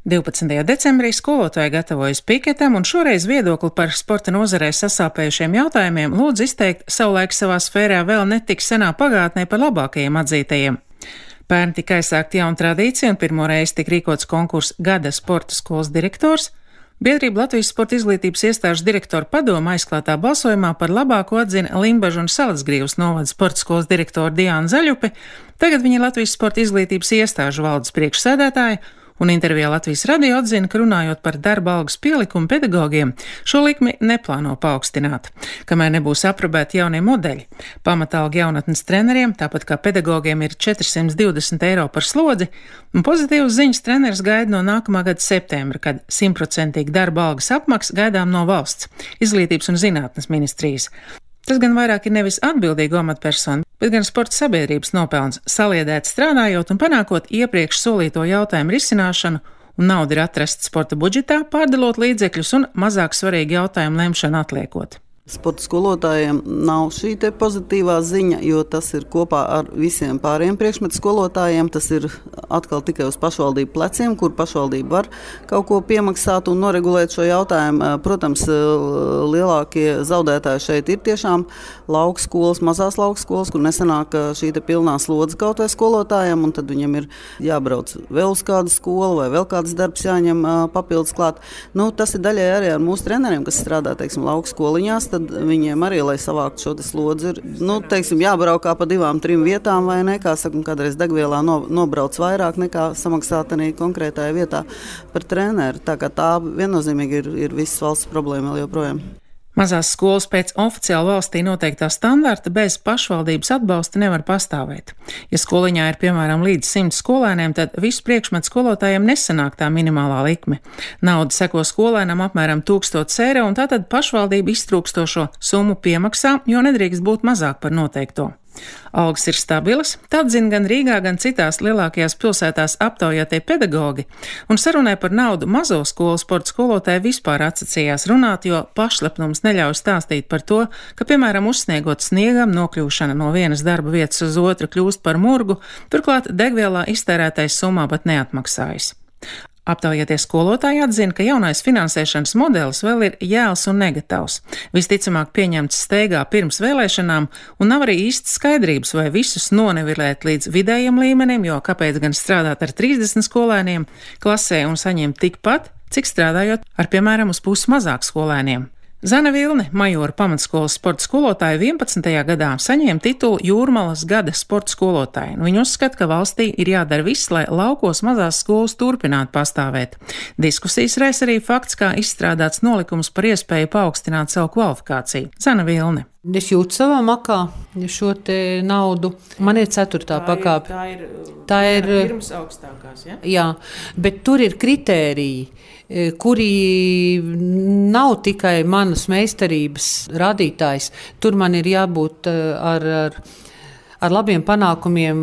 12. decembrī skolotāji gatavojas piketam, un šoreiz viedokli par sporta nozarē sasāpējušiem jautājumiem lūdz izteikt savulaik savā sfērā vēl netik senā pagātnē par labākajiem atzītajiem. Pērn tika aizsākta jauna tradīcija, un pirmo reizi tika rīkots konkurss Gada sporta skolas direktors. Biedrība Latvijas sporta izglītības iestāžu direktoru padoma aizklātā balsojumā par labāko atzina Limbažu un Salacgrīvas novada sporta skolas direktoru Diānu Zaļupi. Tagad viņa ir Latvijas sporta izglītības iestāžu valdes priekšsēdētāja, un intervijā Latvijas radio atzina, ka runājot par darba algas pielikumu pedagogiem, šo likmi neplāno paaugstināt, kamēr nebūs aprobēti jaunie modeļi. Pamatalga jaunatnes treneriem, tāpat kā pedagogiem, ir 420 eiro par slodzi, un pozitīvas ziņas treneris gaida no nākamā gada septembra, kad 100% darba algas apmaksa gaidām no valsts, izglītības un zinātnes ministrijas. Tas gan vairāk ir nevis atbildīgu amatpersonu, bet gan sporta sabiedrības nopelns saliedēt strādājot un panākot iepriekš solīto jautājumu risināšanu, un nauda ir atrasta sporta budžetā, pārdalot līdzekļus un mazāk svarīgi jautājumu lemšanu atliekot. Sporta skolotājiem nav šī te pozitīvā ziņa, jo tas ir kopā ar visiem pārējiem priekšmetu skolotājiem. Tas ir atkal tikai uz pašvaldību pleciem, kur pašvaldība var kaut ko piemaksāt un noregulēt šo jautājumu. Protams, lielākie zaudētāji šeit ir tiešām laukskolas, mazās laukskolas, kur nesanāk šī te pilnā slodze kaut vai skolotājiem, un tad viņam ir jābrauc vēl uz kādu skolu vai vēl kāds darbs jāņem papildus klāt. Tas ir daļai arī ar mūsu treneriem, kas strādā, teiksim, laukskoliņās. Tad viņiem arī, lai savāktu šo slodzi, ir jābraukā pa 2-3 vietām vai ne, kā saka, kādreiz degvielā nobrauc vairāk nekā samaksāt arī konkrētajā vietā par treneri. Tā kā tā viennozīmīgi ir visas valsts problēma vēl joprojām. Mazās skolas pēc oficiāli valstī noteiktā standarta bez pašvaldības atbalsta nevar pastāvēt. Ja skoliņā ir piemēram līdz 100 skolēniem, tad visu priekšmetu skolotājiem nesanāk tā minimālā likme. Nauda seko skolēnam apmēram 1000 eiro, un tātad pašvaldība iztrūkstošo summu piemaksā, jo nedrīkst būt mazāk par noteikto. Algas ir stabilas, tad zina gan Rīgā, gan citās lielākajās pilsētās aptaujātie pedagogi, un sarunai par naudu mazo skolu sporta skolotāji vispār atsacījās runāt, jo pašlepnums neļauj stāstīt par to, ka, piemēram, uzsniegot sniegam, nokļūšana no vienas darba vietas uz otru kļūst par murgu, turklāt degvielā iztērētais summā pat neatmaksājas. Aptaujātie skolotāji atzina, ka jaunais finansēšanas modelis vēl ir jēls un negatavs. Visticamāk pieņemts steigā pirms vēlēšanām, un nav arī īsti skaidrības, vai visus nonivelēt līdz vidējiem līmenim, jo kāpēc gan strādāt ar 30 skolēniem klasē un saņemt tikpat, cik strādājot ar, piemēram, uz pusi mazāk skolēniem. Zana Vilne, Majora pamatskolas sporta skolotāja 11. gadā, saņēma titulu Jūrmalas gada sporta skolotāja. Viņa uzskata, ka valstī ir jādara viss, lai laukos mazās skolas turpinātu pastāvēt. Diskusijas raisa arī fakts, kā izstrādāts nolikums par iespēju paaugstināt savu kvalifikāciju. Zana Vilne. Es jūtu savā makā šo te naudu. Man ir 4. pakāpe. Tā ir pirms augstākās, ja? Jā, bet tur ir kritēriji, kuri nav tikai manas meistarības rādītājs. Tur man ir jābūt ar labiem panākumiem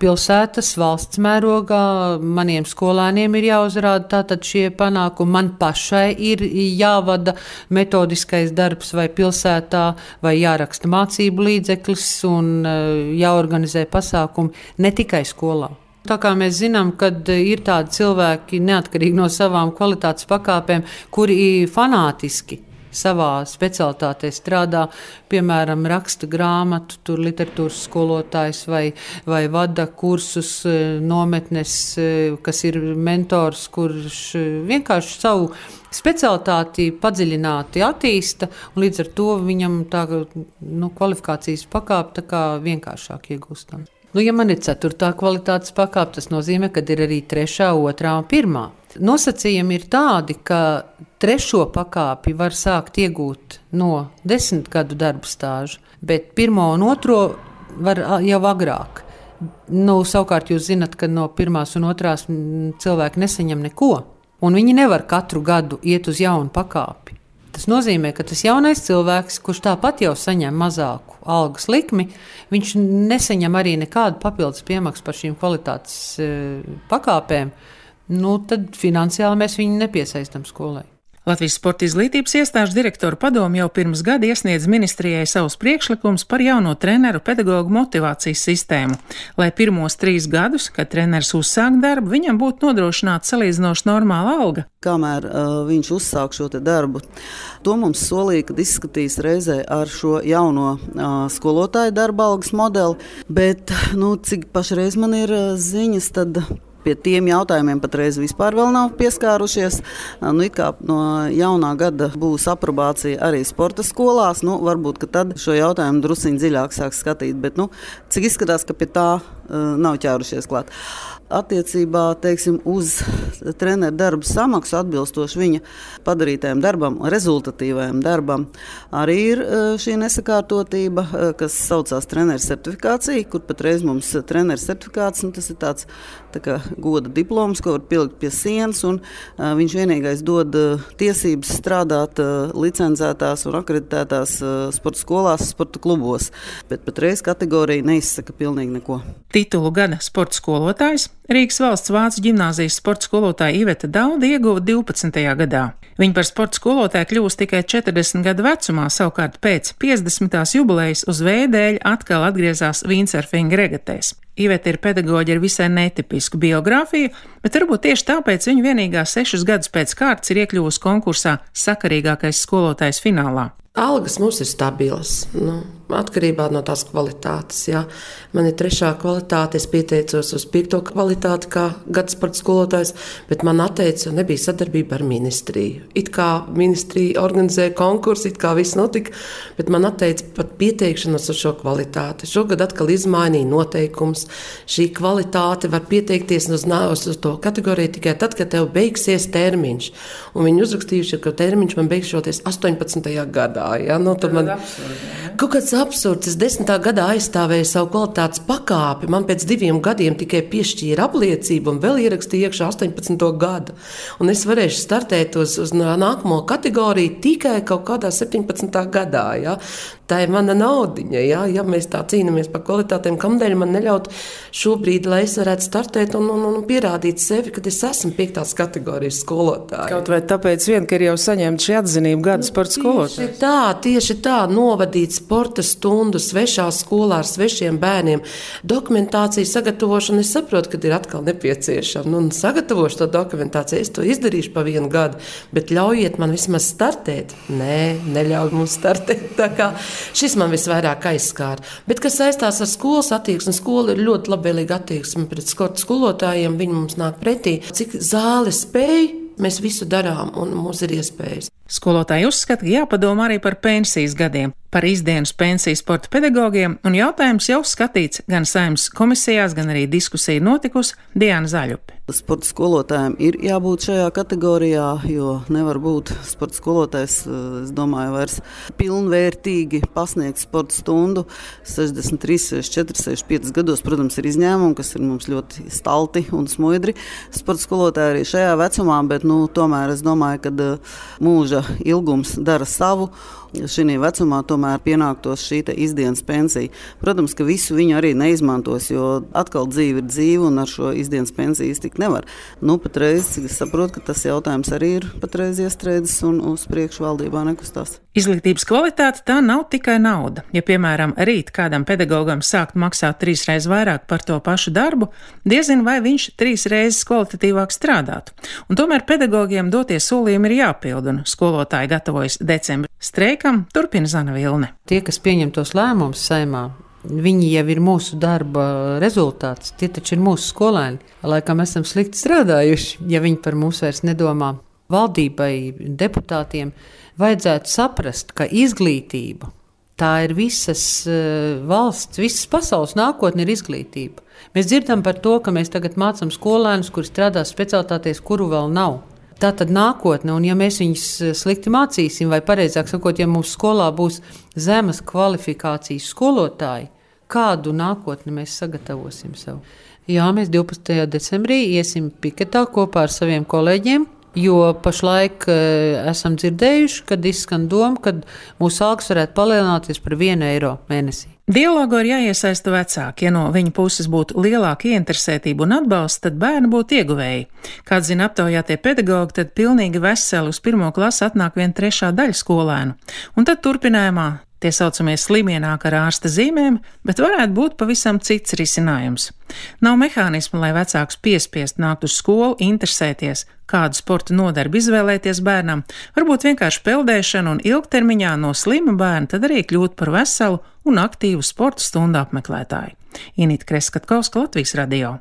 pilsētas, valsts mērogā. Maniem skolēniem ir jāuzrāda tātad šie panākumi. Man pašai ir jāvada metodiskais darbs vai pilsētā, vai jāraksta mācību līdzeklis un jāorganizē pasākumi ne tikai skolā. Tā kā mēs zinām, kad ir tādi cilvēki, neatkarīgi no savām kvalitātes pakāpēm, kuri fanātiski savā specialitātē strādā, piemēram, raksta grāmatu, tur literatūras skolotājs vai vada kursus nometnes, kas ir mentors, kurš vienkārši savu specialitāti padziļināti attīsta, un līdz ar to viņam tā kvalifikācijas pakāpe tā kā vienkāršāk iegūstam. Ja man ir 4. kvalitātes pakāpe, tas nozīmē, ka ir arī 3., 2. un 1. Nosacījumi ir tādi, ka 3. pakāpi var sākt iegūt no 10 gadu darba stāža, bet 1. un 2. var jau agrāk. Savukārt jūs zinat, ka no 1. un 2. cilvēki nesaņem neko, un viņi nevar katru gadu iet uz jaunu pakāpi. Tas nozīmē, ka tas jaunais cilvēks, kurš tāpat jau saņem mazāku algas likmi, viņš nesaņem arī nekādu papildus piemaksu par šīm kvalitātes pakāpēm, tad finansiāli mēs viņu nepiesaistam skolai. Latvijas Sporta izglītības iestāžu direktoru padomi jau pirms gada iesniedz ministrijai savus priekšlikumus par jauno treneru pedagoģu motivācijas sistēmu, lai pirmos 3 gadus, kad treneris uzsāk darbu, viņam būtu nodrošināta salīdzinoši normāla alga. Kamēr viņš uzsāk šo darbu, to mums solīja, kad izskatīs reizē ar šo jauno skolotāju darba algas modeli, bet, cik pašreiz man ir ziņas, tad pie tiem jautājumiem patreiz vispār vēl nav pieskārušies. It kā no jaunā gada būs aprobācija arī sporta skolās. Varbūt, ka tad šo jautājumu drusciņ dziļāk sāks skatīt, bet cik izskatās, ka pie tā nav ķērušies klāt. Attiecībā, uz treneru darba samaksu atbilstoši viņa padarītajam darbam, rezultatīvajam darbam, arī ir šī nesakārtotība, kas saucās treneru certifikācija, kur patreiz mums treneru certifikāts, tas ir tāds kā goda diploms, ko var pielikt pie sienas, un viņš vienīgais dod tiesības strādāt licencētās un akreditētās sporta skolās, sporta klubos, bet patreiz kategorija neizsaka pilnīgi neko. Titulu gada sporta skolotājs Rīgas valsts vācu ģimnāzijas sporta skolotāja Iveta Dauda ieguva 12. gadā. Viņa par sporta skolotāju kļūst tikai 40 gadu vecumā, savukārt pēc 50. jubilejas uz vēja atkal atgriezās vīncerfinga regatēs. Iveta ir pedagoģe ar visai netipisku biogrāfiju, bet varbūt tieši tāpēc viņa vienīgā 6 gadus pēc kārtas ir iekļuvusi konkursā sakarīgākais skolotājs finālā. Algas mums ir stabilas, atkarībā no tās kvalitātes. Jā. Man ir 3. kvalitāte, es pieteicos uz 5. kvalitāti kā gada sporta skolotājs, bet man atteica, jo nebija sadarbība ar ministriju. It kā ministrija organizēja konkursu, it kā viss notika, bet man atteica pat pieteikšanos uz šo kvalitāti. Šogad atkal izmainīja noteikums. Šī kvalitāte var pieteikties uz to kategoriju tikai tad, kad tev beigsies termiņš. Un viņi uzrakstījuši, ka termiņš man beigšoties 18. gadā. Ja? Tur man kaut kāds absurds. Es 10. gadā aizstāvēju savu kvalitātes pakāpi. Man pēc 2 gadiem tikai piešķīra apliecību un vēl ierakstīja iekšā 18. gadu. Un es varēšu startēt uz nākamo kategoriju tikai kaut kādā 17. gadā. Ja? Tā ir mana naudiņa. Ja mēs tā cīnāmies par kvalitātēm, kamdēļ man neļaut šobrīd, lai es varētu startēt un pierādīt sevi, kad es esmu 5. kategorijas skolotāja. Kaut vai tāpēc ka ir jau saņemta šī atzinība gada sporta skolotājs. Tieši tā, novadīt sporta stundu svešā skolā ar svešiem bērniem. Dokumentāciju sagatavošana, es saprotu, ka ir atkal nepieciešama. Sagatavošu to dokumentāciju, es to izdarīšu pa 1 gadu, bet ļaujiet man vismaz startēt. Nē, neļauj mums startēt. Tā kā šis man visvairāk aizskāra. Bet, kas saistās ar skolas attieksmi, skola ir ļoti labvēlīga attieksme pret sporta skolotājiem, viņi mums nāk pretī. Cik zāle spēj, mēs visu darām un mums ir iespējas. Skolotāji uzskata, ka jāpadomā arī par pensijas gadiem, par izdienas pensiju sporta pedagogiem, un jautājums jau skatīts gan Saeimas komisijās, gan arī diskusija notikusi. Diana Zaļupe. Sporta skolotājiem ir jābūt šajā kategorijā, jo nevar būt sporta skolotājs, es domāju, vairs pilnvērtīgi pasniegt sporta stundu 63, 64, 65 gados. Protams, ir izņēmumi, kas ir mums ļoti stalti un smuidri. Sporta skolotāji arī šajā vecumā, bet tomēr es domāju, ka mūža ilgums dara savu. Šī vecumā tomēr pienāktos šī izdienas pensija. Protams, ka visu viņu arī neizmantos, jo atkal dzīve ir dzīve un ar šo izdienas pensiju iztikt nevar. Patreiz es saprotu, ka tas jautājums arī ir patreiz iestrēdzis un uz priekšu valdībā nekustās. Izglītības kvalitāte tā nav tikai nauda. Ja, piemēram, rīt kādam pedagogam sākt maksāt 3 reizes vairāk par to pašu darbu, diezin vai viņš 3 reizes kvalitatīvāk strādātu. Un tomēr pedagogiem dotie solījumi ir jāpild, un skolotāji gatavojas decembra streikam, turpina Zana Vilne. Tie, kas pieņem tos lēmumus Saeimā, viņi jau ir mūsu darba rezultāts. Tie taču ir mūsu skolēni. Laikam esam slikti strādājuši, ja viņi par mums vairs nedomā. Valdībai, deputātiem vajadzētu saprast, ka izglītība tā ir visas valsts, visas pasaules nākotne ir izglītība. Mēs dzirdam par to, ka mēs tagad mācām skolēnus, kuri strādā specialitātēs, kuru vēl nav. Tā tad nākotne, un ja mēs viņus slikti mācīsim, vai pareizāk sakot, ja mūsu skolā būs zemes kvalifikācijas skolotāji, kādu nākotni mēs sagatavosim sev? Jā, mēs 12. decembrī iesim piketā kopā ar saviem kolēģiem, jo pašlaik esam dzirdējuši, kad izskan doma, ka mūsu algas varētu palielināties par 1 eiro mēnesī. Dialogu ir jāiesaista vecāki. Ja no viņa puses būtu lielāka ieinteresētība un atbalsts, tad bērni būtu ieguvēji. Kā zina aptaujātie pedagogi, tad pilnīgi veseli uz 1. klasi atnāk vien 3. daļa skolēnu. Un tad turpinājumā tie saucamie slimie nāk ar ārsta zīmēm, bet varētu būt pavisam cits risinājums. Nav mehānismu, lai vecāks piespiest nākt uz skolu, interesēties, kādu sporta nodarbi izvēlēties bērnam, varbūt vienkārši peldēšanu un ilgtermiņā no slima bērna tad arī kļūt par veselu un aktīvu sporta stundu apmeklētāju. Inita Kreskatkovska, Latvijas radio.